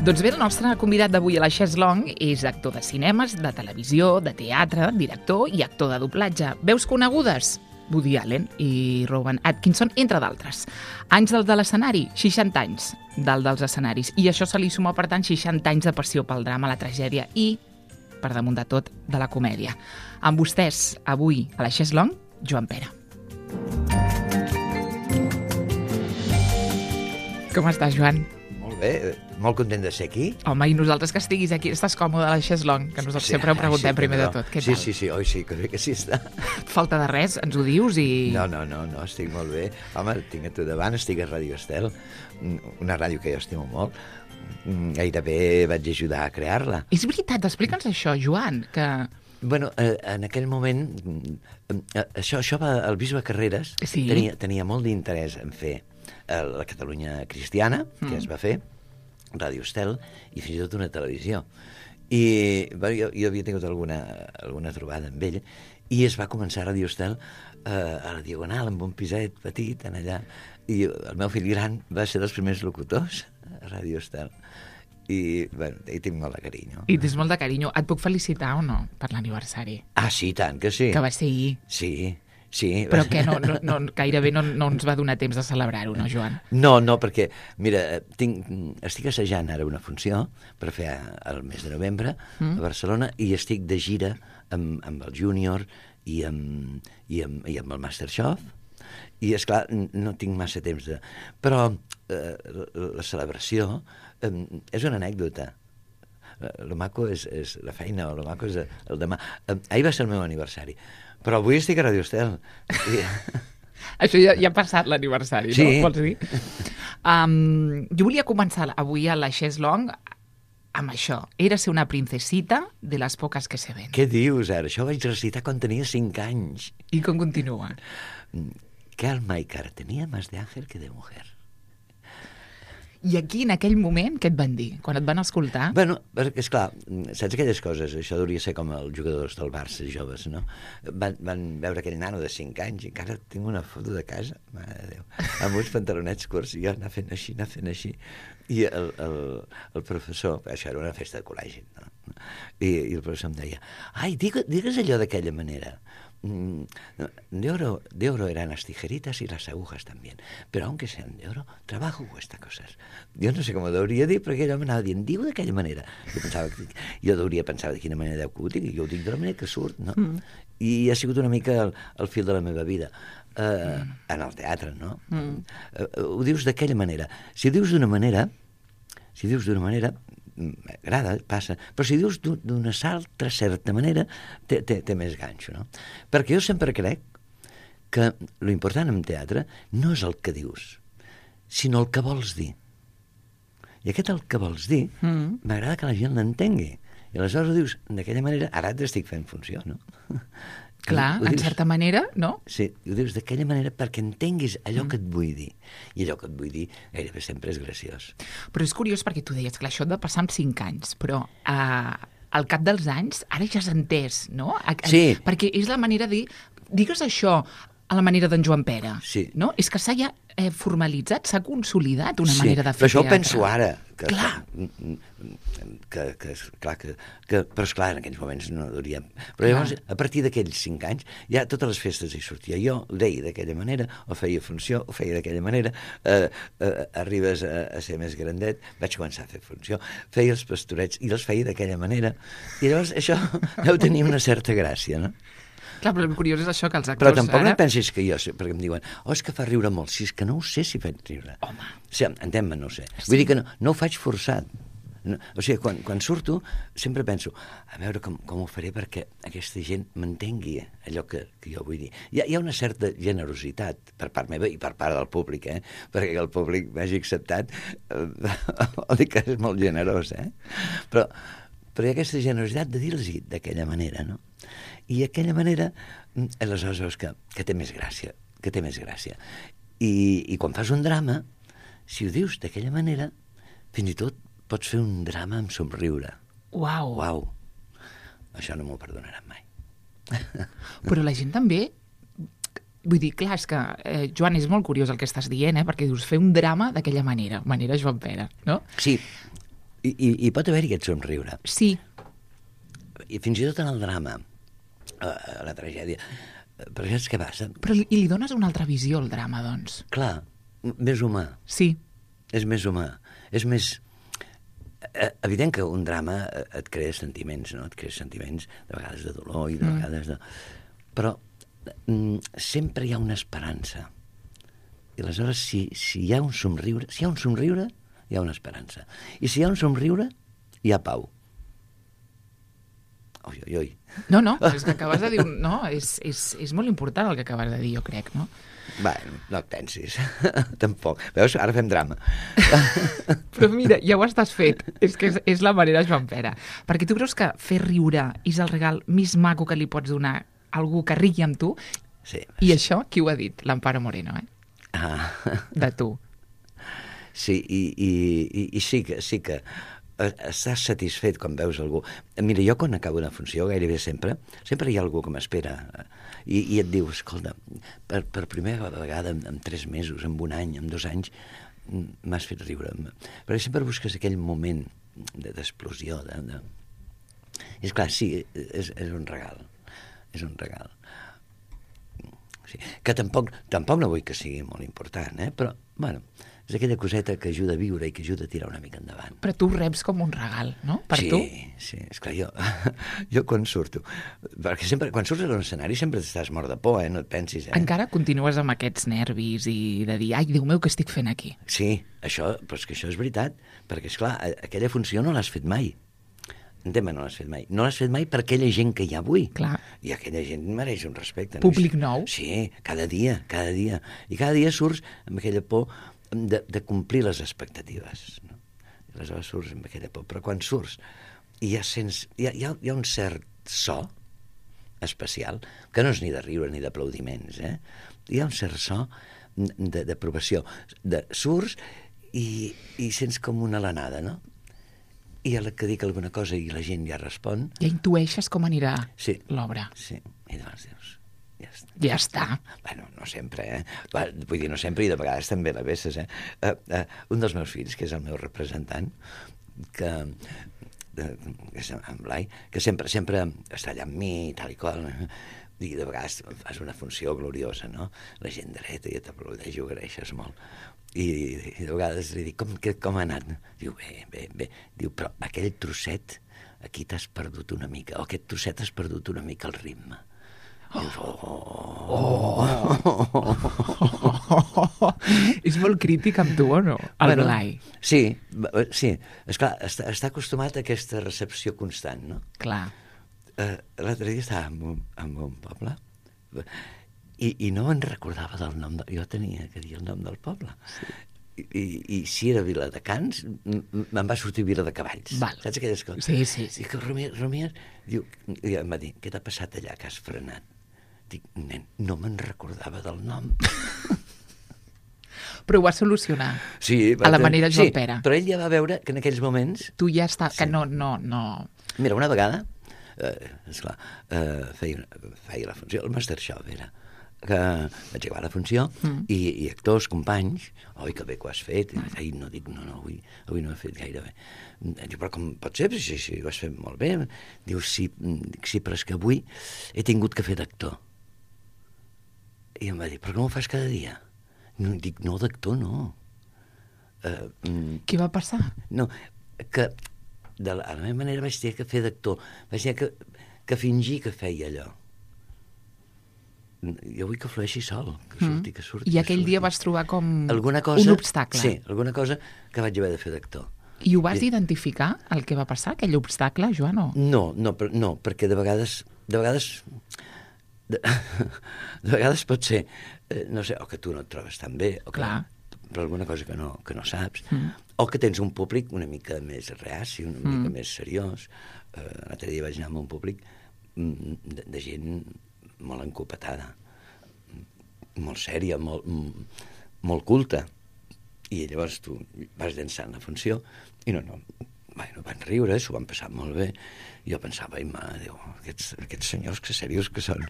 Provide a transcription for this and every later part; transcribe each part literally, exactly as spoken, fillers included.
Doncs bé, el nostre convidat d'avui a la Chaise Longue és actor de cinemes, de televisió, de teatre, director i actor de doblatge. Veus conegudes? Woody Allen i Rowan Atkinson, entre d'altres. Anys del de l'escenari, seixanta anys del dels escenaris. I això se li suma, per tant, seixanta anys de passió pel drama, la tragèdia i, per damunt de tot, de la comèdia. Amb vostès, avui, a la Chaise Longue, Joan Pera. Com estàs, Joan? Molt bé, molt content de ser aquí. Home, i nosaltres que estiguis aquí, estàs còmode a la Chaise Longue, que nosaltres sí, sempre ho preguntem sí, primer no. de tot. Què sí, tal? sí, sí, oi sí, que bé que sí està. Falta de res, ens ho dius i... No, no, no, no, estic molt bé. Home, tinc a tu davant, estic a Ràdio Estel, una ràdio que jo estimo molt. Gairebé vaig ajudar a crear-la. És veritat, explica'ns això, Joan, que... Bueno, eh, en aquell moment, eh, això, això va, el bisbe Carreras sí. tenia, tenia molt d'interès en fer eh, la Catalunya cristiana, que mm. es va fer, Ràdio Estel, i fins i tot una televisió. I bueno, jo, jo havia tingut alguna, alguna trobada amb ell, i es va començar a Ràdio Estel eh, a la Diagonal, amb un piset petit, en allà, i el meu fill gran va ser dels primers locutors a Ràdio Estel. I, bueno, hi tinc molt de carinyo. I tens molt de carinyo. Et puc felicitar o no per l'aniversari? Ah, sí, tant que sí. Que va ser ahir. Sí, sí. Però que no, no, no, gairebé no, no ens va donar temps de celebrar-ho, no, Joan? No, no, perquè, mira, tinc, estic assajant ara una funció per fer el mes de novembre mm. a Barcelona i estic de gira amb, amb el Júnior i amb, i amb, i amb el Masterchef. I, esclar, no tinc massa temps de... Però eh, la celebració eh, és una anècdota. El maco és, és la feina, o el maco és el demà. Eh, ahir va ser el meu aniversari, però avui estic a Ràdio Estel. I... Això ja, ja ha passat l'aniversari, sí. no? Vols dir? Um, jo volia començar avui a la Chaise Longue amb això. Era ser una princesita de les poques que se ven. Què dius, ara? Això ho vaig recitar quan tenia cinc anys. I com continua? Que alma y cara tenía más de ángel que de mujer. I aquí, en aquell moment, què et van dir? Quan et van escoltar? Bueno, perquè, esclar, saps aquelles coses? Això hauria ser com els jugadors del Barça joves, no? Van, van veure aquell nano de cinc anys i encara tinc una foto de casa, mare de Déu, amb uns pantalonets curts i jo anar fent així, anar fent així. I el, el, el professor, això era una festa de col·legi, no? I, i el professor em deia, ai, digues, digues allò d'aquella manera. De oro, de oro eran las tijeritas y las agujas también, pero aunque sean de oro, trabajo cuesta cosas. Jo no sé com ho hauria dit, perquè ell m'anava dient, diu d'aquella manera. Jo pensava que, jo hauria pensar de quina manera deu que ho dic, i jo ho dic de la manera que surt, no? Mm. I ha sigut una mica el, el fil de la meva vida. Uh, mm. En el teatre, no? Mm. Uh, ho dius d'aquella manera. Si ho dius d'una manera, si dius d'una manera, m'agrada, passa, però si dius d'una altra certa manera té, té, té més ganxo, no? Perquè jo sempre crec que l'important en teatre no és el que dius, sinó el que vols dir. I aquest el que vols dir mm. m'agrada que la gent l'entengui, i aleshores ho dius d'aquella manera, ara t'estic fent funció, no? Clar, en certa manera, no? Sí, ho dius d'aquella manera perquè entenguis allò mm. que et vull dir. I allò que et vull dir gairebé sempre és graciós. Però és curiós perquè tu deies que això ha de passar amb cinc anys, però eh, al cap dels anys ara ja has entès, no? A, a, sí. Perquè és la manera de dir, digues això a la manera d'en Joan Pera, sí. no? És que s'ha ja eh, formalitzat, s'ha consolidat una sí, manera de fer però això teatre. Ho penso ara. Que, clar. Que, que, clar que, que, però esclar, en aquells moments no hauríem... Però llavors, a partir d'aquells cinc anys, ja totes les festes hi sortia. Jo ho deia d'aquella manera, o feia funció, o feia d'aquella manera, eh, eh, arribes a, a ser més grandet, vaig començar a fer funció, feia els pastorets i els feia d'aquella manera. I llavors això deu tenir una certa gràcia, no? Clar, però el curiós és això, que els actors... Però tampoc ara... no pensis que jo... Perquè em diuen, oh, és que fa riure molt. Si és que no ho sé si faig riure. Home. O sigui, entén-me, no ho sé. Sí. Vull dir que no, no ho faig forçat. No, o sigui, quan, quan surto, sempre penso, a veure com, com ho faré perquè aquesta gent m'entengui allò que, que jo vull dir. Hi ha, hi ha una certa generositat per part meva i per part del públic, eh? Perquè que el públic m'hagi acceptat, eh, vol dir que és molt generós, eh? Però, però hi ha aquesta generositat de dir-los d'aquella manera, no? I aquella manera, aleshores veus que, que té més gràcia, que té més gràcia. I, i quan fas un drama, si ho dius d'aquella manera, fins i tot pots fer un drama amb somriure. Uau! Uau! Això no m'ho perdonaran mai. Però la gent també... Vull dir, clar, és que, eh, Joan, és molt curiós el que estàs dient, eh? Perquè dius, fer un drama d'aquella manera, manera Joan Pera, no? Sí. I, i, i pot haver-hi aquest somriure. Sí. I fins i tot en el drama, a, a la tragèdia. Però saps què passa? Però li, i li dones una altra visió al drama, doncs. Clar, més humà. Sí. És més humà. És més... Evident que un drama et crea sentiments, no? Et crea sentiments, de vegades de dolor i de mm. vegades de... Però mm, sempre hi ha una esperança. I aleshores, si, si hi ha un somriure, si hi ha un somriure, hi ha una esperança. I si hi ha un somriure, hi ha pau. Oi, oi, oi. No, no, és que acabes de dir... No, és, és, és molt important el que acabes de dir, jo crec, no? Bé, no et pensis. Tampoc. Veus? Ara fem drama. Però mira, ja ho estàs fet. És que és, és la manera Joan Pere. Perquè tu creus que fer riure és el regal més maco que li pots donar a algú que rigui amb tu? Sí. I això, qui ho ha dit? L'Amparo Moreno, eh? Ah. De tu. Sí, i, i, i, i sí que... Sí que estàs satisfet quan veus algú. Mira, jo quan acabo una funció, gairebé sempre, sempre hi ha algú que m'espera i, i et diu, escolta, per, per primera vegada en, en tres mesos, en un any, en dos anys, m'has fet riure. Perquè sempre busques aquell moment d'explosió. De, de... És clar, sí, és, és un regal. És un regal. Sí. Que tampoc, tampoc no vull que sigui molt important, eh? Però, bueno, és aquella coseta que ajuda a viure i que ajuda a tirar una mica endavant. Però tu reps com un regal, no? Per sí, tu? Sí, esclar, jo, jo quan surto, perquè sempre, quan surts a un escenari sempre estàs mort de por, eh? No et pensis, eh? Encara continues amb aquests nervis i de dir, ai, Déu meu, què estic fent aquí? Sí, això, però és que això és veritat, perquè, esclar, aquella funció no l'has fet mai. Entén-me, no l'has fet mai. No l'has fet mai per aquella gent que hi ha avui. Clar. I aquella gent mereix un respecte. Públic no? nou. Sí, cada dia, cada dia. I cada dia surts amb aquella por de, de complir les expectatives. No? I aleshores surts amb aquella por. Però quan surts i ja sents... Hi ha, hi ha, hi ha un cert so especial, que no és ni de riure ni d'aplaudiments, eh? Hi ha un cert so d'aprovació. De, surts i, i sents com una alenada, no? I a la que dic alguna cosa i la gent ja respon... Ja intueixes com anirà sí, l'obra. Sí, i llavors dius, ja està. Ja està. Bueno, no sempre, eh? Vull dir, no sempre, i de vegades també la vesses, eh? Uh, uh, un dels meus fills, que és el meu representant, que, uh, que és en Blai, que sempre, sempre està allà amb mi i tal i qual, i de vegades fas una funció gloriosa, no? La gent dreta i t'aplaudeix i ho agraeixes molt. I, i de vegades li dic, com, que, com ha anat? Diu, bé, bé, bé. Diu, però aquell trosset, aquí t'has perdut una mica, o aquest trosset has perdut una mica el ritme. Oh. Dius, oh, oh, oh, oh, oh. És molt crític amb tu, o no? El bueno, Blai. Sí, sí. Esclar, està, està acostumat a aquesta recepció constant, no? Clar. Uh, L'altre dia estava en un, en un poble i, i no me'n recordava del nom de... Jo tenia que dir el nom del poble. Sí. I, i, i si era Viladecans, me'n va sortir Vila de Cavalls. Val. Saps aquelles coses? Sí, sí, sí. I que rumies, rumies, diu, i em va dir, què t'ha passat allà que has frenat? Dic, nen, no me'n recordava del nom. Però ho va solucionar. Sí. A la manera Joan sí, Pere. Però ell ja va veure que en aquells moments... Tu ja està... Sí. Que no, no, no... Mira, una vegada, eh, esclar, eh, feia, feia la funció, el Masterchef era, que vaig acabar la funció mm. i, i actors, companys, oi, que bé que ho has fet, i ai, no dic, no, no, avui, avui no ho he fet gaire bé. Diu, però com pot ser? Si, si ho has fet molt bé. Diu, sí, sí, però és que avui he tingut que fer d'actor. I em va dir, però com ho fas cada dia? No, dic, no, d'actor no. Uh, mm, Què va passar? No, que de la, a la meva manera vaig tenir que fer d'actor, vaig tenir que, que fingir que feia allò. Jo vull que flueixi sol, que surti, que surti. I aquell surti. dia vas trobar com alguna cosa, un obstacle. Sí, alguna cosa que vaig haver de fer d'actor. I ho vas I... identificar, el que va passar, aquell obstacle, Joan? O? No, no, per, no, perquè de vegades, de vegades, de, de vegades pot ser, eh, no sé, o que tu no et trobes tan bé, o que, Clar. per alguna cosa que no, que no saps, mm. o que tens un públic una mica més reaci, una mm. mica més seriós. Eh, l'altre dia vaig anar amb un públic de, de gent molt encopetada, molt sèria, molt, molt culta. I llavors tu vas llançant la funció i no, no, bueno, van riure, s'ho van passar molt bé. I jo pensava, ai, mare, Déu, aquests, aquests senyors que serios que són.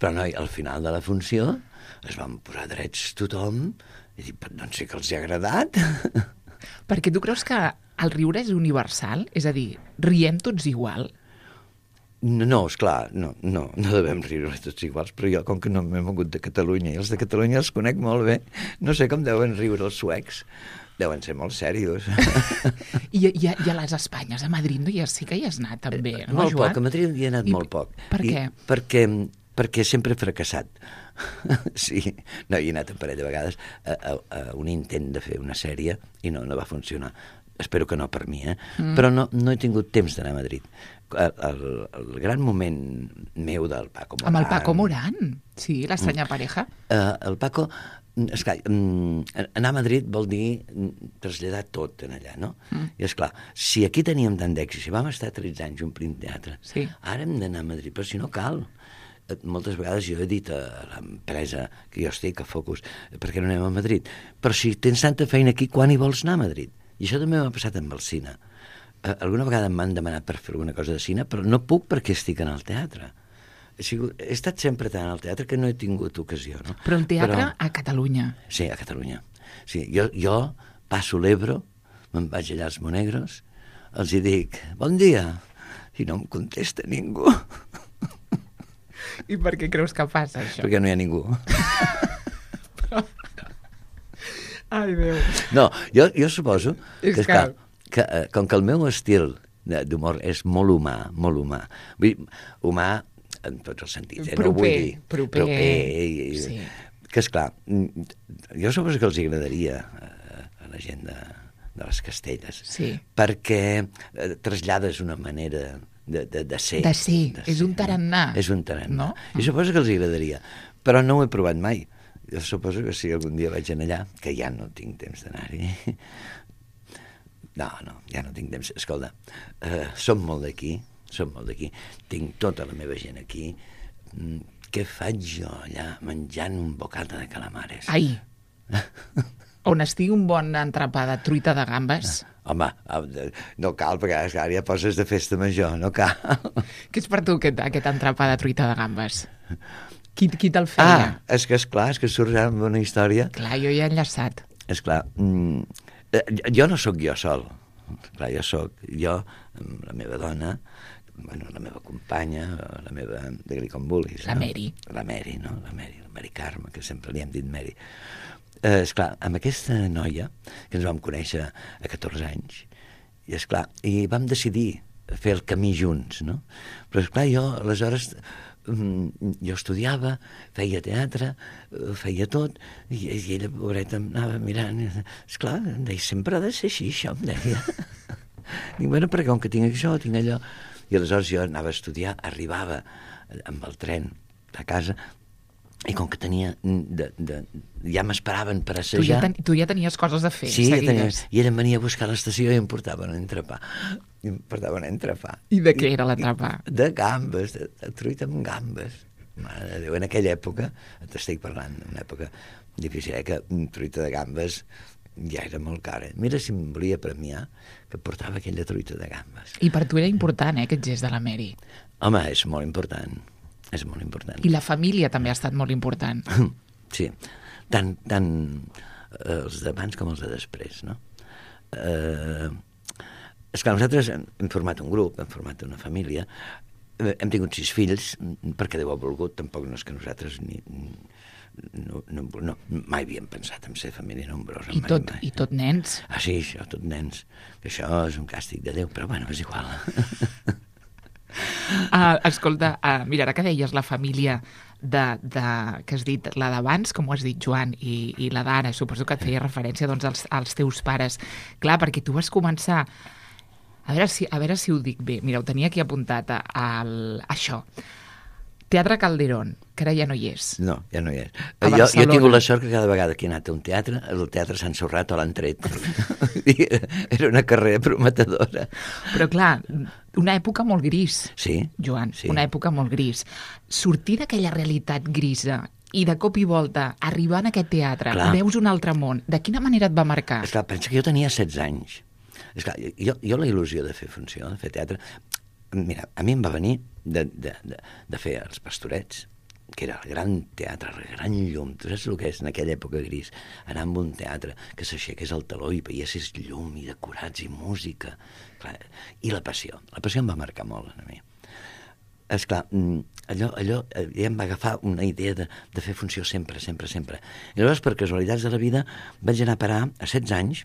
Però no, al final de la funció es van posar drets tothom i dic, doncs sí que els hi ha agradat. Perquè tu creus que el riure és universal? És a dir, riem tots igual? No, no, esclar, no, no, no devem riure tots iguals, però jo, com que no m'he mogut de Catalunya, i els de Catalunya els conec molt bé, no sé com deuen riure els suecs. Deuen ser molt serios. I, i, a, I a les Espanyes, a Madrid, no? Ja sí que hi has anat també, no, molt Joan? Poc, a Madrid hi he anat I, molt poc. Per què? I, perquè, perquè sempre he fracassat. Sí, no, hi he anat un parell de vegades a, a, a un intent de fer una sèrie i no, no va funcionar. Espero que no per mi, eh? Mm. Però no, no he tingut temps d'anar a Madrid. El, el, el gran moment meu del Paco Morán... Amb el Paco Morán, sí, l'estranya mm. pareja. Uh, el Paco... Esclar, anar a Madrid vol dir traslladar tot en allà, no? Mm. I esclar, si aquí teníem tant d'èxit, si vam estar tretze anys omplint teatre, sí. Ara hem d'anar a Madrid, però si no cal. Moltes vegades jo he dit a l'empresa que jo estic, a Focus, per què no anem a Madrid? Però si tens tanta feina aquí, quan hi vols anar a Madrid? I això també m'ha passat amb el cine. Alguna vegada m'han demanat per fer alguna cosa de cine, però no puc perquè estic en el teatre. He, sigut, he estat sempre tant al teatre que no he tingut ocasió, no? Però el teatre Però, a Catalunya. Sí, a Catalunya. Sí, jo, jo passo l'Ebro, me'n vaig allà als Monegros, els hi dic, bon dia, i no em contesta ningú. I per què creus que passa, això? Perquè no hi ha ningú. Però... Ai, Déu. No, jo, jo suposo és que, que... que, que, com que el meu estil d'humor és molt humà, molt humà, vull dir, humà en tots els sentits, eh? Proper, no vull dir proper, proper i, sí. Que esclar, jo suposo que els agradaria a, a la gent de, de les Castelles, sí. Perquè eh, trasllades una manera de, de, de ser. De ser, de és ser, un tarannà. No? És un tarannà. No? I suposo que els agradaria, però no ho he provat mai. Jo suposo que si algun dia vaig anar allà, que ja no tinc temps d'anar-hi. No, no, ja no tinc temps. Escolta, uh, som molt d'aquí, som molt d'aquí, tinc tota la meva gent aquí. Mm, què faig jo allà menjant un bocata de calamares? Ai! On estigui un bon entrepà de truita de gambes? Home, no cal, perquè ara ja poses de festa major, no cal. Què és per tu aquest, aquest entrepà de truita de gambes? Qui, qui te'l feia? Ah, és que esclar, és que surt amb una història. Clar, jo ja he enllaçat. Esclar, mm, jo no sóc jo sol. Clar, jo sóc jo, amb la meva dona, bueno, la meva companya, la meva... digue-li com vulguis. La no? Mary. La Mary, no? La Mary, la Mary Carme, que sempre li hem dit Mary. Eh, esclar, amb aquesta noia, que ens vam conèixer a catorze anys, i esclar, i vam decidir fer el camí junts, no? Però esclar, jo, aleshores... jo estudiava, feia teatre, feia tot, i, i ella, pobreta, em anava mirant, esclar, em deia, sempre ha de ser així, això, em deia. Dic, bueno, perquè com que tinc això, tinc allò... I aleshores jo anava a estudiar, arribava amb el tren a casa, i com que tenia... De, de, ja m'esperaven per assajar... Tu ja, ten, tu ja tenies coses a fer, sí, ja tenia, seguides. I ella em venia a buscar a l'estació i em portava un entrepà. I em portava un entrepà. I de què era l'entrepà? De gambes, de, de truita amb gambes. Mare de Déu, en aquella època, t'estic parlant d'una època difícil, eh, que truita de gambes ja era molt cara. Mira si em volia premiar que portava aquella truita de gambes. I per tu era important, eh, aquest gest de la Mary? Home, és molt important. És molt important. I la família també ha estat molt important. Sí, tant, tant els d'abans com els de després, no? Eh, és que nosaltres hem format un grup, hem format una família, hem tingut sis fills, perquè Déu ha volgut, tampoc no és que nosaltres ni, no, no, no, mai havíem pensat en ser família nombrosa. I, mai, tot, mai. I tot nens. Ah, sí, això, tot nens. Que això és un càstig de Déu, però bueno, és igual. Uh, escolta, uh, mira, ara que deies la família de, de, que has dit, la d'abans, com ho has dit, Joan, i, i la d'ara, suposo que et feia referència doncs, als, als teus pares. Clar, perquè tu vas començar... A veure si, a veure si ho dic bé. Mira, ho tenia aquí apuntat a, a, a això. Teatre Calderón, que ara ja no hi és. No, ja no hi és. A jo, jo he Barcelona. tingut la sort que cada vegada que he anat a un teatre, el teatre s'ha ensorrat o l'han tret. Era una carrera prometedora. Però clar, una època molt gris, Sí. Joan, sí. una època molt gris. Sortir d'aquella realitat grisa i de cop i volta arribar en aquest teatre, Clar. veus un altre món, de quina manera et va marcar? Esclar, pensa que jo tenia setze anys. Esclar, jo, jo la il·lusió de fer funció, de fer teatre... Mira, a mi em va venir de, de, de, de fer Els Pastorets, que era el gran teatre, el gran llum. Tu saps el que és en aquella època gris? Anar amb un teatre que s'aixequés el taló i veiessis llum i decorats i música. Clar, i la passió. La passió em va marcar molt a mi. Esclar, allò, allò ja em va agafar una idea de, de fer funció sempre, sempre, sempre. I llavors, per casualitats de la vida, vaig anar a parar a setze anys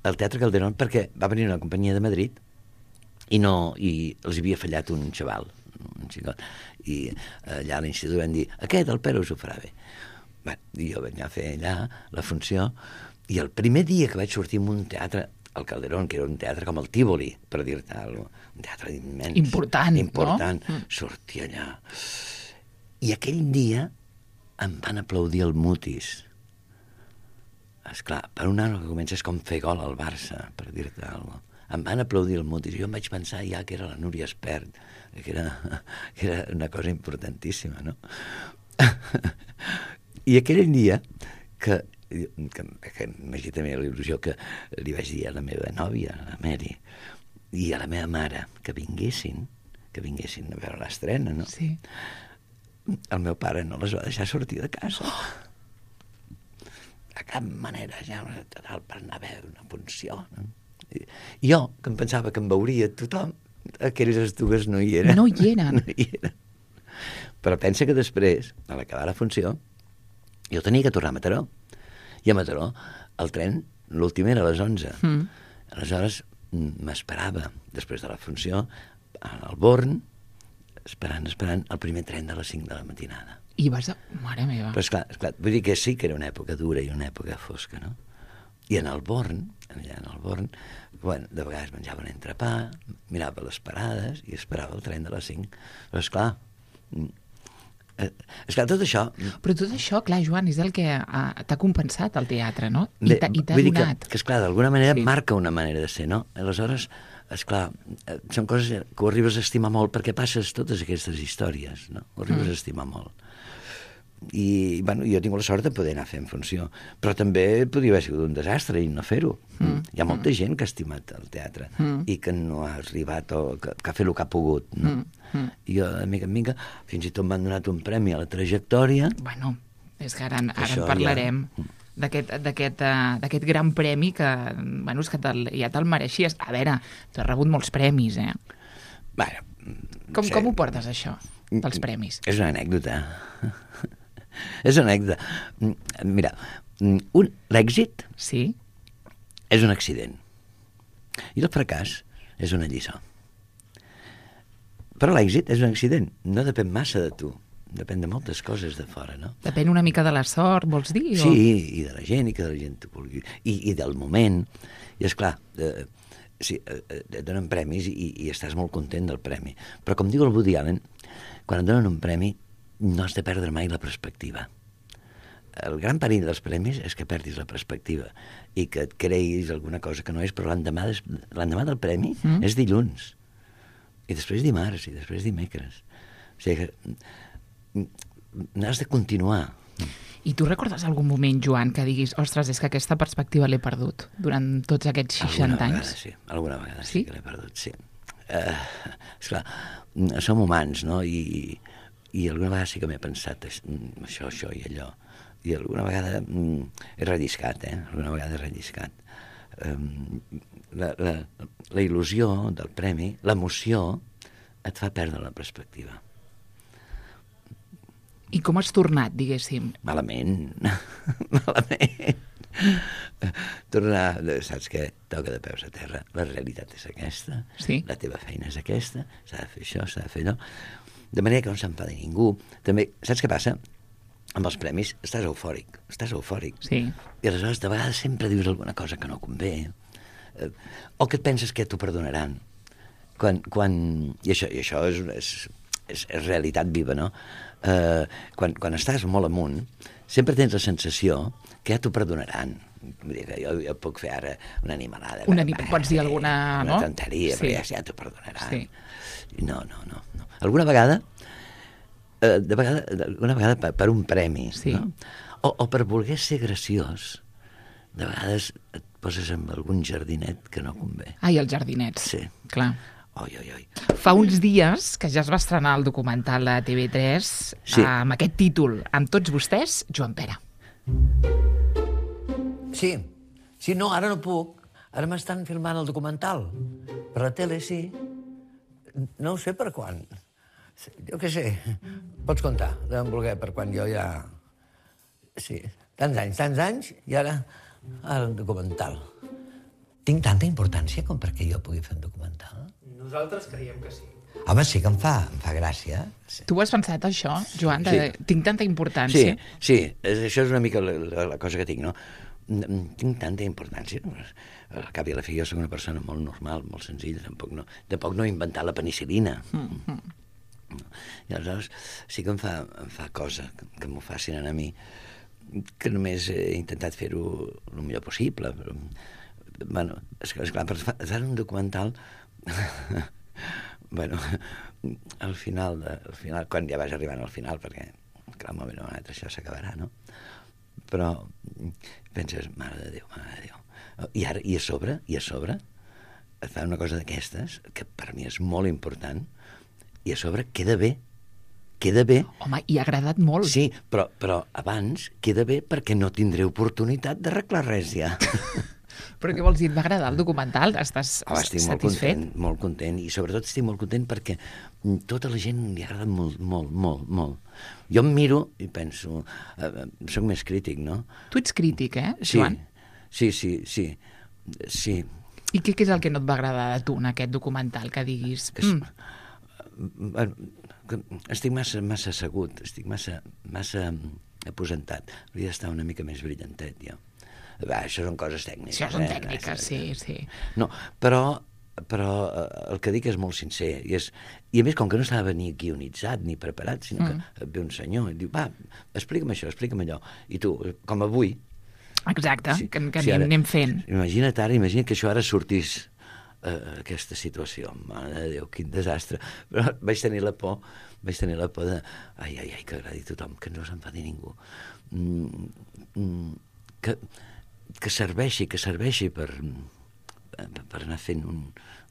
al Teatre Calderón perquè va venir una companyia de Madrid i no i els havia fallat un xaval, un xicot. I allà a l'institut van dir, aquest, el Pere, us ho farà bé. Bé, i jo vaig anar a fer allà la funció i el primer dia que vaig sortir en un teatre al Calderón, que era un teatre com el Tívoli, per dir-te alguna cosa, un teatre immens. Important, important, no? Sortia allà. I aquell dia em van aplaudir el Mutis. Esclar, per un any que comences com fer gol al Barça, per dir-te alguna cosa. Em van aplaudir el Mutis. Jo em vaig pensar ja que era la Núria Espert, que era, que era una cosa importantíssima, no? I aquell dia que que, que m'hagi també la il·lusió que li vaig dir a la meva nòvia, a la Mary, i a la meva mare, que vinguessin, que vinguessin a veure l'estrena, no? Sí. El meu pare no les va deixar sortir de casa. Oh! De cap manera, ja, total, per anar a veure una funció, no? I jo, que em pensava que em veuria tothom, aquelles dues no hi eren. No hi eren. No hi eren. Però pensa que després, a l'acabar la funció, jo tenia que tornar a Mataró. I a Mataró, el tren, l'últim era a les onze. Mm. Aleshores, m'esperava, després de la funció, al Born, esperant, esperant, el primer tren de les cinc de la matinada. I vas a... Mare meva. Però esclar, esclar, vull dir que sí que era una època dura i una època fosca, no? I en el Born, allà en el Born, bueno, de vegades menjava un entrepà, mirava les parades i esperava el tren de les cinc. Però esclar... Eh, esclar, tot això... Però tot això, clar, Joan, és el que uh, t'ha compensat el teatre, no? I t'ha donat. Que, que esclar, d'alguna manera sí. Marca una manera de ser, no? Aleshores, esclar, eh, són coses que ho arribes a estimar molt perquè passes totes aquestes històries, no? Ho arribes mm. a estimar molt. I, bueno, jo tinc la sort de poder anar fent funció, però també podria haver sigut un desastre i no fer-ho. Mm. Hi ha molta mm. gent que ha estimat el teatre mm. i que no ha arribat o que, que ha fet el que ha pogut, no? Mm. Mm. I jo, de mica en mica, fins i tot m'han donat un premi a la trajectòria. Bueno, és que ara, ara en parlarem ja... d'aquest uh, gran premi que, bueno, és que ja te'l mereixies. A veure, tu has rebut molts premis, eh? Bueno, com, sí. Com ho portes, això, dels premis? És una anècdota. És una anècdota. Mira, l'èxit sí? És un accident i el fracàs és una lliçó. Però l'èxit és un accident, no depèn massa de tu, depèn de moltes coses de fora, no? Depèn una mica de la sort, vols dir? Sí, o... i de la gent, i que la gent t'ho vulgui, i, i del moment. I esclar, eh, sí, eh, et donen premis i, i estàs molt content del premi. Però com diu el Woody Allen, quan et donen un premi no has de perdre mai la perspectiva. El gran perill dels premis és que perdis la perspectiva i que et creguis alguna cosa que no és, però l'endemà, l'endemà del premi mm. és dilluns, i després dimarts, i després dimecres. O sigui que n'has de continuar. I tu recordes algun moment, Joan, que diguis, ostres, és que aquesta perspectiva l'he perdut durant tots aquests seixanta alguna anys? Vegada, sí. Alguna vegada sí, sí que l'he perdut, sí. Uh, esclar, som humans, no? I, i alguna vegada sí que m'he pensat això, això i allò. I alguna vegada mm, he relliscat, eh? Alguna vegada he relliscat. Um, la, la, la il·lusió del premi, l'emoció, et fa perdre la perspectiva. I com has tornat, diguéssim? Malament. Malament. Tornar, saps què? Toca de peus a terra. La realitat és aquesta. Sí. La teva feina és aquesta. S'ha de fer això, s'ha de fer allò. De manera que no s'enfadi ningú. També, saps què passa? Amb els premis estàs eufòric. Estàs eufòric. Sí. I aleshores de vegades sempre dius alguna cosa que no convé. Eh, o que et penses que t'ho perdonaran. Quan, quan... I això, i això és, és, és, és realitat viva, no? Eh, quan, quan estàs molt amunt, sempre tens la sensació que ja t'ho perdonaran. Vull dir que jo, jo puc fer ara una animalada. Una animalada, pots dir alguna... Una no? tonteria, sí. però ja, ja t'ho perdonaran. Sí. No, no, no, no. Alguna vegada, eh, de vegada, alguna vegada per, per un premi, sí. no? O, o per voler ser graciós, de vegades et poses amb algun jardinet que no convé. Ah, i els jardinets. Sí. Clar. Oi, oi, oi. Fa uns dies que ja es va estrenar el documental a T V tres Sí. amb aquest títol, Amb tots vostès, Joan Pere. Sí, sí, no, ara no puc. Ara m'estan filmant el documental. Per la tele, sí. No ho sé per quan. Jo què sé. Pots comptar, deuen voler per quan jo ja... Sí, tants anys, tants anys, i ara, ara un documental. Tinc tanta importància com perquè jo pugui fer un documental? Nosaltres creiem que sí. Home, sí que em fa, em fa gràcia. Sí. Tu has pensat això, Joan? De... Sí. Tinc tanta importància. Sí, sí, això és una mica la, la, la cosa que tinc, no? Tinc tanta importància. Al cap i a la fi jo soc una persona molt normal, molt senzilla, tampoc no, tampoc no he inventat la penicil·lina. Mm-hmm. I aleshores sí que em fa, em fa cosa que, que m'ho facin a mi, que només he intentat fer-ho el millor possible. Però, bueno, esclar, per fer un documental... bueno, al final, de, al final, quan ja vas arribant al final, perquè clar, un moment o un altre això s'acabarà, no? Però penses, mare de Déu, mare de Déu. I ara, i a sobre, i a sobre, et fa una cosa d'aquestes, que per mi és molt important, i a sobre queda bé, queda bé. Home, i ha agradat molt. Sí, però, però abans queda bé perquè no tindré oportunitat d'arreglar res ja. Però què vols dir? Et va agradar el documental? Estàs oh, estic satisfet? molt content, molt content, i sobretot estic molt content perquè tota la gent li agrada molt, molt, molt, molt. Jo em miro i penso, eh, soc més crític, no? Tu ets crític, eh, Sí, Joan? sí, sí, sí, sí. I què, què és el que no et va agradar de tu en aquest documental, que diguis... És, Mm, bueno, que estic massa, massa assegut, estic massa, massa aposentat. Hauria d'estar una mica més brillantet, jo. Va, això són coses tècniques. això són eh? tècniques, sí, sí. No, però, però eh, el que dic és molt sincer. I, és, I a més, com que no estava ni guionitzat ni preparat, sinó Mm. que et ve un senyor i diu, va, explica'm això, explica'm allò. I tu, com avui... Exacte, Sí, que, que sí, anem, ara- anem fent. Imagina't ara, imagina't que això ara sortís eh, aquesta situació. Mare de Déu, quin desastre. Però vaig tenir la por, vaig tenir la por de... Ai, ai, ai, que agradi a tothom, que no s'enfadi ningú. Mm, mm, que, que serveixi, que serveixi per, per anar fent un,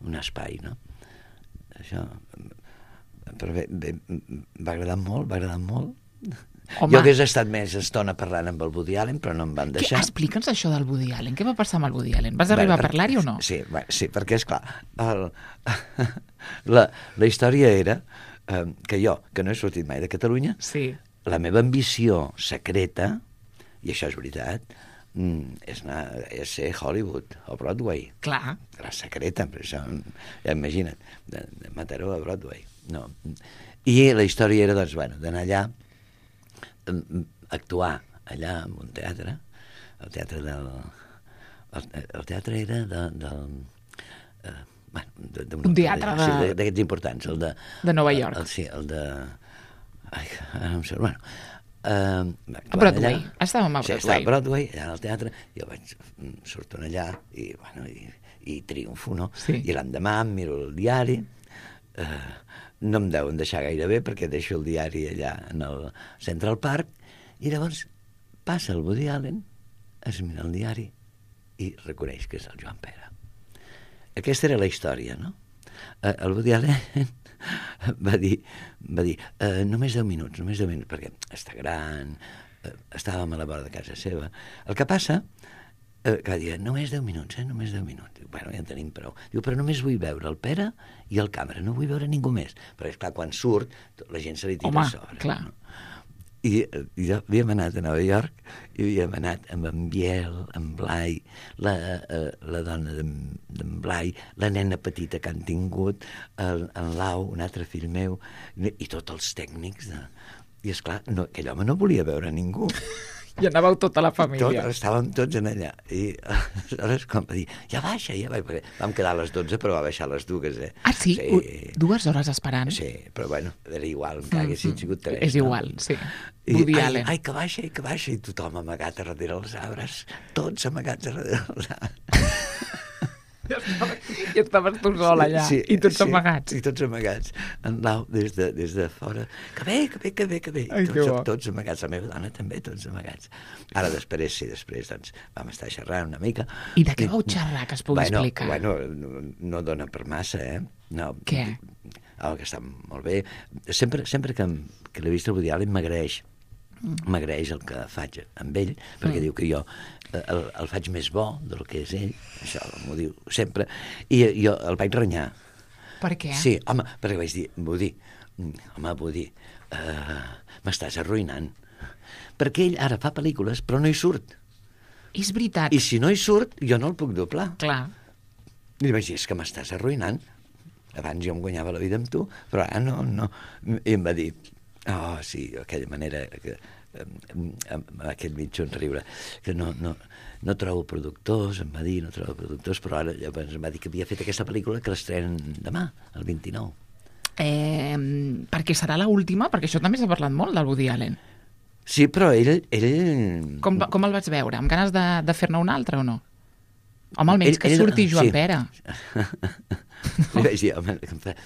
un espai, no? Això... Però bé, bé, va agradar molt, va agradar molt. Home. Jo hagués estat més estona parlant amb el Woody Allen, però no em van Què, deixar. explica'ns això del Woody Allen. Què va passar amb el Woody Allen? Vas arribar Bé, a parlar-hi o no? Sí, bé, sí, perquè, és clar, el, la, la història era eh, que jo, que no he sortit mai de Catalunya, Sí. la meva ambició secreta, i això és veritat, mm, és, anar, és ser Hollywood o Broadway. Clar. La secreta, però això, ja imagina't, de, de Mataró a Broadway. No. I la història era, doncs, bueno, d'anar allà, actuar allà en un teatre, el teatre del... El, el teatre era de, del... Eh, bueno, de, de Un teatre de- sí, d'aquests importants, el de... De Nova York. El, sí, el de... Ai, ara no em surt, bueno... Eh, A Broadway. Estàvem a Sí, Broadway. estava a Broadway, allà al teatre, jo vaig, surto allà i, bueno, i, i triomfo, no? Sí. I l'endemà em miro el diari, eh, no em deuen deixar gaire bé perquè deixo el diari allà en el Central Park, i llavors passa el Woody Allen, es mira el diari i reconeix que és el Joan Pere. Aquesta era la història, no? Eh, el Woody Allen va dir, va dir eh, només deu minuts, només deu minuts, perquè està gran, eh, estàvem a la vora de casa seva. El que passa, eh, que va dir, només deu minuts, eh, només deu minuts. Diu, bueno, ja en tenim prou. Diu, però només vull veure el Pere i el càmera, no vull veure ningú més. Però, esclar, quan surt, la gent se li tira Home, a sobre. clar. No? I, i jo havíem anat a Nova York i havíem anat amb en Biel, en Blai, la, eh, la dona d'en d'en Blai, la nena petita que han tingut, el, en Lau, un altre fill meu, i tots els tècnics. De... I, esclar, no, aquell home no volia veure ningú. I anàveu tota la Tot, família. estàvem tots en allà. I aleshores, com va dir, ja baixa, ja baixa. Perquè vam quedar a les dotze, però va baixar a les dues, eh? Ah, sí? Sí, U- Dues hores esperant? sí, però bueno, era igual, encara haguessin sigut tres. És igual, no? sí. I, Woody ai, Allen. ai, que baixa, ai, que baixa, i tothom amagat a darrere els arbres, tots amagats a darrere els arbres. I estaves tu sol allà, sí, i tots sí, amagats. I tots amagats. En Lau, des de, des de fora, que bé, que bé, que bé, que bé. Ai, tots, bo. tots amagats, la meva dona també, tots amagats. Ara després, sí, després, doncs, vam estar xerrant una mica. I de què vau xerrar, que es pugui bueno, explicar? Bueno, no, no dona per massa, eh? No, què? El que està molt bé. Sempre, sempre que, que l'he vist el Woody Allen m'agraeix. M'agraeix el que faig amb ell, perquè mm. diu que jo el, el faig més bo del que és ell, això m'ho diu sempre, i jo el vaig renyar. Per què? Sí, home, perquè vaig dir, Woody, home, Woody, uh, m'estàs arruïnant. Perquè ell ara fa pel·lícules, però no hi surt. És veritat. I si no hi surt, jo no el puc doblar. Clar. I li vaig dir, és que m'estàs arruïnant. Abans jo em guanyava la vida amb tu, però ara no, no. I em va dir, oh, sí, aquella manera, que, amb aquest mig somriure, que no, no, no trobo productors, em va dir, no trobo productors, però ara llavors em va dir que havia fet aquesta pel·lícula que l'estrenen demà, el vint-i-nou. Eh, perquè serà l'última, perquè això també s'ha parlat molt del Woody Allen. Sí, però ell... ell... Com, com el vaig veure? Amb ganes de, de fer-ne una altra o no? Home, almenys ell, que ell, surti Joan sí. Pere. Li vaig dir, home,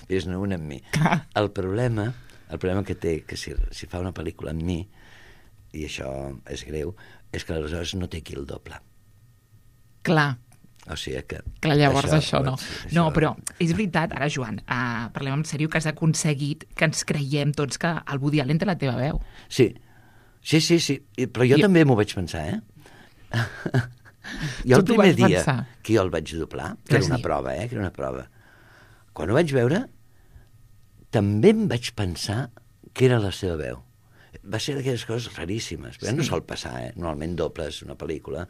fes-ne una amb mi. Clar. El problema... El problema que té, que si, si fa una pel·lícula amb mi, i això és greu, és que aleshores no té qui el doble. Clar. O sigui que... Clar, llavors això, això no. Això... No, però és veritat, ara, Joan, uh, parlem en sèrio, que has aconseguit que ens creiem tots que el Woody Allen té la teva veu. Sí, sí, sí, sí. Però jo I... també m'ho vaig pensar, eh? Jo el primer dia pensar. que jo el vaig doblar, que era una prova, eh? Que era una prova. Quan ho vaig veure, també em vaig pensar que era la seva veu. Va ser d'aquelles coses raríssimes, però sí. No sol passar, eh? Normalment dobles una pel·lícula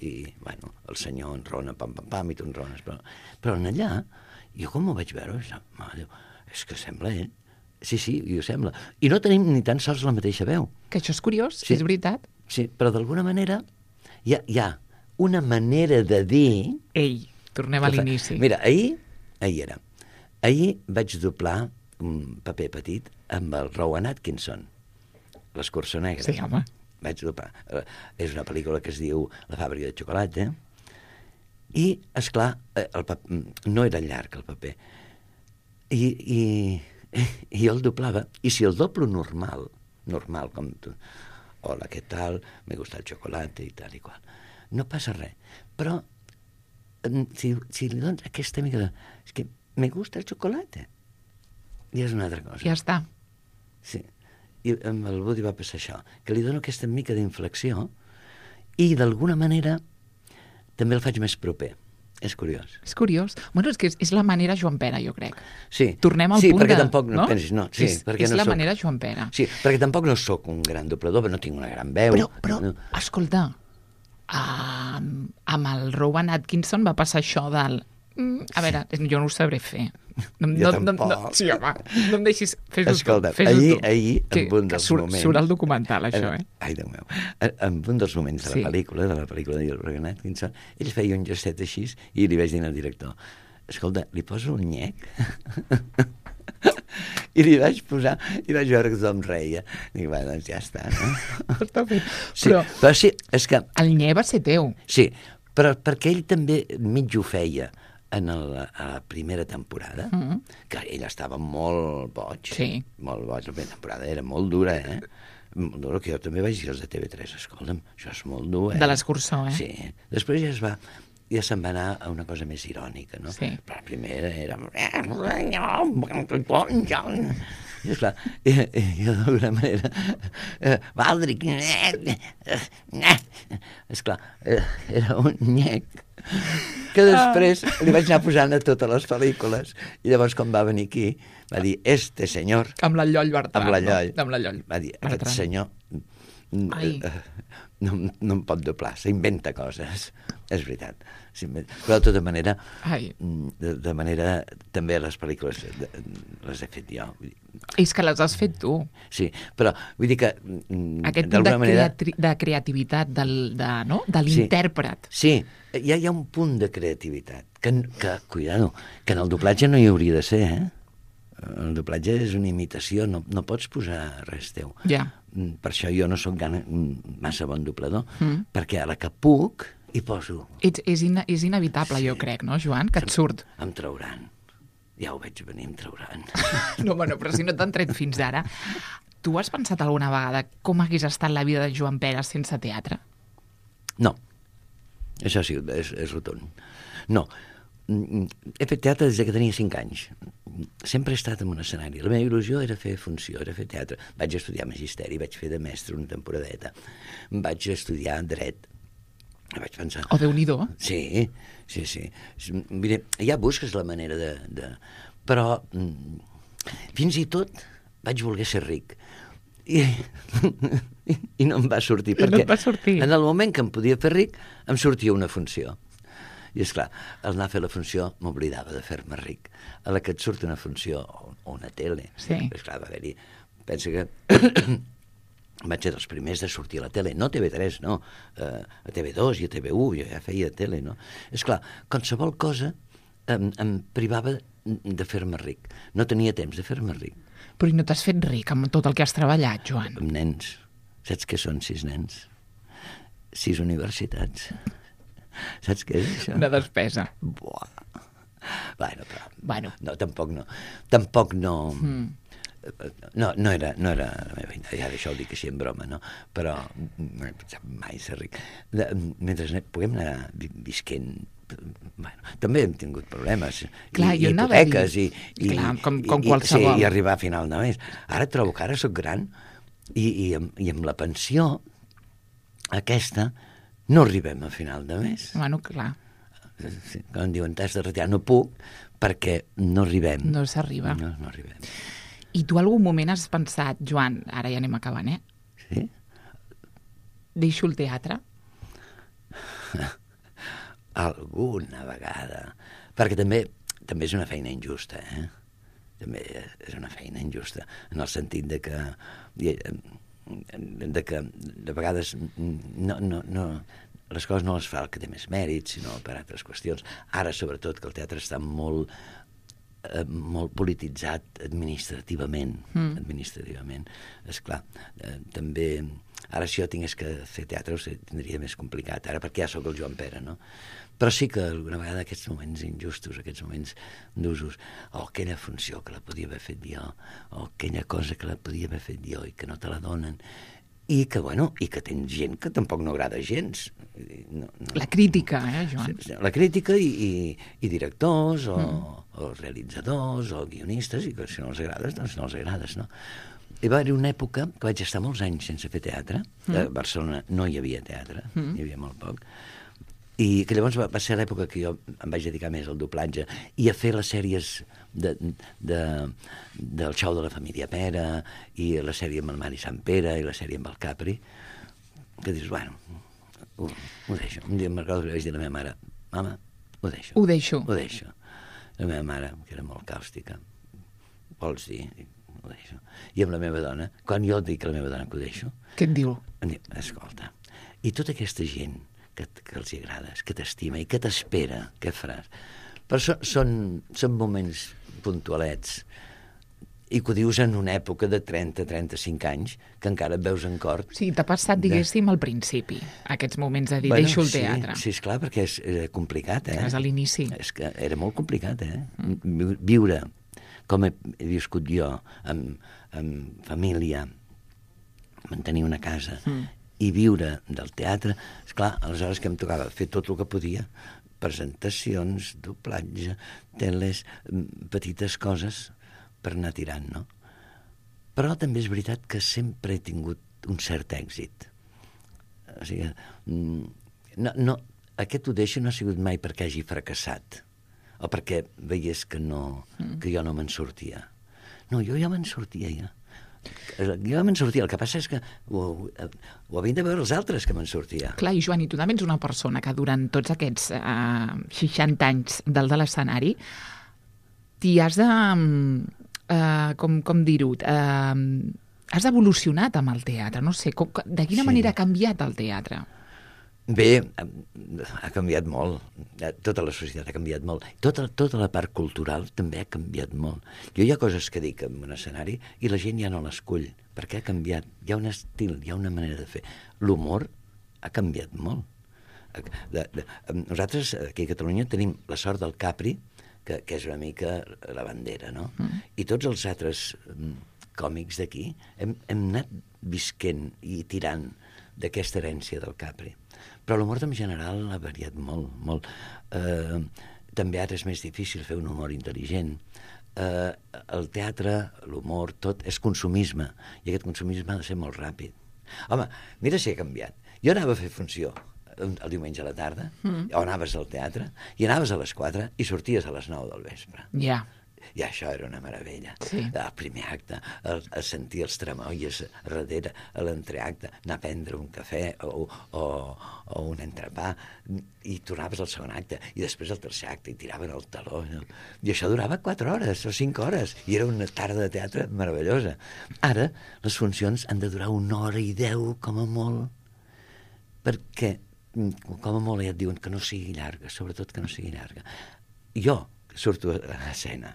i, bueno, el senyor enrona, pam, pam, pam, i tu enrones. Però, però en allà, jo com ho vaig veure, Déu, és que sembla ell. Sí, sí, i ho sembla. I no tenim ni tan sols la mateixa veu. Que això és curiós, sí. És veritat. Sí, però d'alguna manera hi ha, hi ha una manera de dir... Ei, tornem a l'inici. Mira, ahir, ahir era, ahir vaig doblar un paper petit amb el Rowan Atkinson, l'Escurçó Negre. Sí, home. Vaig doblar. És una pel·lícula que es diu La fàbrica de xocolata, i, esclar, el paper, no era llarg el paper, i, i, i jo el doblava, i si el doblo normal, normal com tu, hola, què tal, me gusta el xocolate i tal i qual, no passa res, però si, si li dones aquesta mica de... És que me gusta el xocolate, i és una altra cosa. Ja està. Sí. I amb el Woody va passar això, que li dono aquesta mica d'inflexió i d'alguna manera també el faig més proper. És curiós. És curiós. Bueno, és que és, és la manera Joan Pere, jo crec. Sí. Tornem al sí, punt perquè de... tampoc no, no? pensis, no. Sí, és perquè és no la soc... manera Joan Pere. Sí, perquè tampoc no sóc un gran doblador, però no tinc una gran veu. Però, però no. escolta, uh, amb el Rowan Atkinson va passar això del... Mm, a veure, jo no ho sabré fer. No, jo no, tampoc. No, sí, home, no em deixis... Fes-ho Escolta, tu, ahir, tu. ahir, Sí, en un dels surt, moments... Surt el documental, això, eh? Ai, Déu meu. En un dels moments de la sí. pel·lícula, de la pel·lícula de Rowan Atkinson, ell feia un gestet així i li vaig dir al director, escolta, li poso un nyec? I li vaig posar, i vaig veure que tothom reia. Dic, va, doncs ja està, no? Està bé. Sí, però, però sí, és que... El nye va ser teu. Sí, però perquè ell també mig ho feia en el, a la primera temporada, mm -hmm. que ell estava molt boig, sí. molt boig, la primera temporada era molt dura, eh? Molt dura, que jo també vaig dir als de T V tres, escolta'm, això és molt dur, eh? De l'Escurçó, eh? Sí, després ja es va, ja se'n va anar a una cosa més irònica, no? Sí. Però la primera era... I esclar, i, i d'alguna manera Valdric esclar, era un nyec que després li vaig anar posant a totes les pel·lícules i llavors quan va venir aquí va dir, este senyor amb la Lloll Bertran, amb la Lloll, no? Amb la Lloll va dir, aquest Bertran. senyor no, no em pot doblar, s'inventa coses, és veritat. Però de tota manera, de, de manera, també les pel·lícules les he fet jo. És que les has fet tu. Sí, però vull dir que... Aquest punt de, manera... creati de creativitat del, de, no? de l'intèrpret. Sí, sí, hi ha, hi ha un punt de creativitat que, que, cuidado, que en el doblatge no hi hauria de ser, eh? El doblatge és una imitació, no, no pots posar res teu. Ja. Per això jo no sóc massa bon doblador, mm. perquè a la que puc, i poso... Ets, és, in, és inevitable, Sí. jo crec, no, Joan? Que et surt. Em trauran. Ja ho veig venir, em trauran. No, bueno, però si no t'han tret fins ara. Tu has pensat alguna vegada com hagués estat la vida de Joan Pera sense teatre? No. Això sí, és, és rotund. No. He fet teatre des que tenia cinc anys. Sempre he estat en un escenari. La meva il·lusió era fer funció, era fer teatre. Vaig estudiar magisteri, vaig fer de mestre una temporadeta. Vaig estudiar dret. Vaig pensar... O Déu-n'hi-do. Sí, sí, sí. Mira, ja busques la manera de... de... Però fins i tot vaig voler ser ric. I, i no em va sortir. I no perquè et va sortir. en el moment que em podia fer ric, em sortia una funció. I, esclar, al anar a fer la funció m'oblidava de fer-me ric. A la que et surt una funció o, o una tele, Sí. esclar, va haver-hi... Pensa que vaig ser dels primers de sortir a la tele, no a T V tres, no, uh, a T V dos i a T V u, jo ja feia tele, no? Esclar, qualsevol cosa em, em privava de fer-me ric. No tenia temps de fer-me ric. Però i no t'has fet ric amb tot el que has treballat, Joan? Amb nens. Saps què són sis nens? Sis universitats. Saps què és això? Una despesa. Buah. Bueno, però... Bueno. No, tampoc no. Tampoc no... Mm. No, no era, no era la meva idea, ja això ho dic així en broma, no? Però no he pensat mai ser ric. De, mentre ne, puguem anar vi- visquent... Bueno, també hem tingut problemes. Clar, I, jo i anava a hipoteques dir- i, i, Clar, com- com i, qualsevol. Sí, i arribar a final de mes. Ara trobo que ara sóc gran i, i, amb, i amb la pensió aquesta no arribem a final de mes. Bueno, clar, Sí, quan em diuen t'has de retirar, no puc perquè no arribem. no s'arriba. No, no arribem. I tu algun moment has pensat, Joan, ara ja anem acabant, eh? Sí? Deixo el teatre? Alguna vegada. Perquè també també és una feina injusta, eh? També és una feina injusta, en el sentit de que de que de vegades no, no, no, les coses no les fa el que té més mèrit, sinó per altres qüestions. Ara, sobretot, que el teatre està molt eh, molt polititzat administrativament. Mm. Administrativament. Esclar, eh, també... Ara, si jo tingués que fer teatre, ho sé, tindria més complicat, ara perquè ja sóc el Joan Pera, no? Però sí que alguna vegada aquests moments injustos, aquests moments d'usos, o aquella funció que la podia haver fet jo, o aquella cosa que la podia haver fet jo i que no te la donen, i que, bueno, i que tens gent que tampoc no agrada gens. No, no. La crítica, eh, Joan? La crítica i, i, i directors, o, mm. o realitzadors, o guionistes, i que si no els agrades, doncs no els agrades, no? Hi va haver una època que vaig estar molts anys sense fer teatre. Mm. A Barcelona no hi havia teatre, mm. hi havia molt poc. I que llavors va, va ser l'època que jo em vaig dedicar més al doblatge i a fer les sèries de, de, del Xou de la família Pera i la sèrie amb el Mari Sant Pere i la sèrie amb el Capri, que dius, bueno, ho, ho deixo. Un dia em recordo que vaig dir a la meva mare, mama, ho deixo. Ho deixo. Ho deixo. La meva mare, que era molt càustica, vols dir? Ho deixo. I amb la meva dona, quan jo dic a la meva dona que ho deixo, Què et diu? em diu, escolta, i tota aquesta gent que, que els hi agrades, que t'estima i que t'espera, què faràs? Però so, són, són moments puntualets i que ho dius en una època de trenta a trenta-cinc anys que encara et veus en cor. Sí, t'ha passat, diguéssim, al principi, aquests moments de dir, Bueno, deixo el sí, teatre. Sí, esclar, perquè és era complicat, eh? És a l'inici. És que era molt complicat, eh? Mm. Viure com he viscut jo, amb, amb família, mantenir una casa mm. i viure del teatre, esclar, aleshores que em tocava fer tot el que podia, presentacions, doblatge, teles, petites coses per anar tirant, no? Però també és veritat que sempre he tingut un cert èxit. O sigui, no, no, aquest ho deixo no ha sigut mai perquè hagi fracassat o perquè veiés que, no, que jo no me'n sortia. No, jo ja me'n sortia, ja. Jo me'n sortia, el que passa és que ho, ho havien de veure els altres que me'n sortia. Clar, i Joan, i tu també ets una persona que durant tots aquests eh, seixanta anys del de l'escenari t'hi has de... Eh, com, com dir-ho? Eh, has evolucionat amb el teatre, no sé, com, de quina Sí. manera ha canviat el teatre? Bé, ha canviat molt. Tota la societat ha canviat molt. Tota, tota la part cultural també ha canviat molt. Jo hi ha coses que dic en un escenari i la gent ja no l'escull, perquè ha canviat. Hi ha un estil, hi ha una manera de fer. L'humor ha canviat molt. De, de, nosaltres aquí a Catalunya tenim la sort del Capri, que, que és una mica la bandera, no? Mm. I tots els altres còmics d'aquí hem, hem anat visquent i tirant d'aquesta herència del Capri. Però l'humor en general ha variat molt, molt. Eh, també ara és més difícil fer un humor intel·ligent. Eh, el teatre, l'humor, tot és consumisme, i aquest consumisme ha de ser molt ràpid. Home, mira si ha canviat. Jo anava a fer funció el diumenge a la tarda, mm. o anaves al teatre, i anaves a les quatre i sorties a les nou del vespre. Ja. Yeah. I això era una meravella. Sí. El primer acte, el, el sentir els tremoies darrere, a l'entreacte, anar a prendre un cafè o, o, o un entrepà, i tornaves al segon acte, i després al tercer acte, i tiraven el taló. No? I això durava quatre hores o cinc hores, i era una tarda de teatre meravellosa. Ara, les funcions han de durar una hora i deu, com a molt, perquè, com a molt, ja et diuen que no sigui llarga, sobretot que no sigui llarga. Jo surto a l'escena,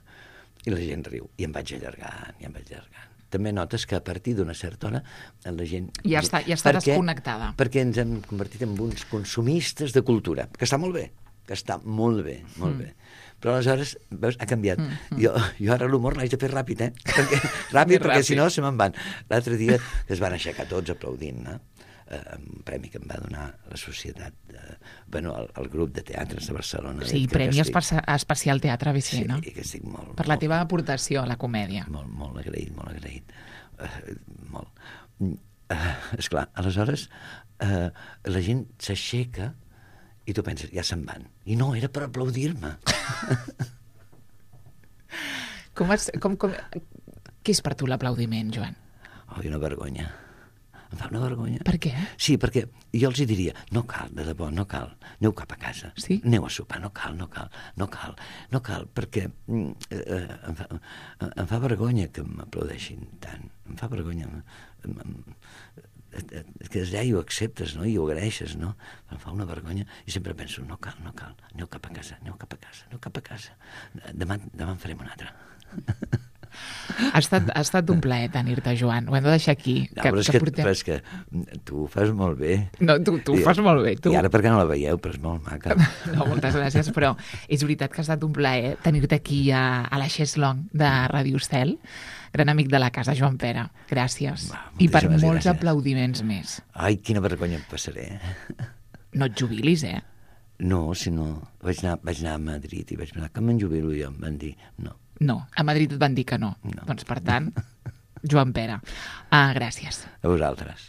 i la gent riu, i em vaig allargant, i em vaig allargant. També notes que a partir d'una certa hora la gent... Ja està, ja està perquè, desconnectada. Perquè ens hem convertit en uns consumistes de cultura, que està molt bé, que està molt bé, molt mm. bé. Però aleshores, veus, ha canviat. Mm, mm. Jo, jo ara l'humor l'haig de fer ràpid, eh? Perquè, ràpid, perquè ràpid. Si no se me'n van. L'altre dia es van aixecar tots aplaudint, no? Uh, un premi que em va donar la societat, uh, bueno, el, el grup de teatres de Barcelona. Sí, Premi estic... Especial Teatre A B C, sí, no? Sí, que estic molt... Per la molt, teva aportació a la comèdia. Molt, molt agraït, molt agraït. Uh, molt. Uh, esclar, aleshores, uh, la gent s'aixeca i tu penses, ja se'n van. I no, era per aplaudir-me. com, has, com, com... Què és per tu l'aplaudiment, Joan? Oh, una vergonya. Em fa una vergonya. Per què? Sí, perquè jo els hi diria, no cal, de debò, no cal, aneu cap a casa, sí? Aneu a sopar, no cal, no cal, no cal, no cal, perquè eh, em, fa, em fa vergonya que m'aplaudeixin tant, em fa vergonya, em, em, que ja ho acceptes, no?, i ho agraeixes, no?, em fa una vergonya, i sempre penso, no cal, no cal, aneu cap a casa, aneu cap a casa, aneu cap a casa, demà, demà en farem una altra. Ha estat, ha estat un plaer tenir-te, Joan. Ho hem de deixar aquí. No, que, però, és que, que portem... però és que tu ho fas molt bé. No, tu, tu ho fas molt bé. Tu. I ara perquè no la veieu, però és molt maca. No, moltes gràcies, però és veritat que ha estat un plaer tenir-te aquí a, a la Xeslong de Ràdio Estel, gran amic de la casa, Joan Pere. Gràcies. Va, I per molts gràcies. Aplaudiments més. Ai, quina vergonya em passaré. No et jubilis, eh? No, si no... Vaig anar, vaig anar a Madrid i vaig pensar, que me'n jubilo jo? Em van dir, no. No, a Madrid et van dir que no. no. Doncs, per tant, Joan Pere, uh, gràcies. A vosaltres.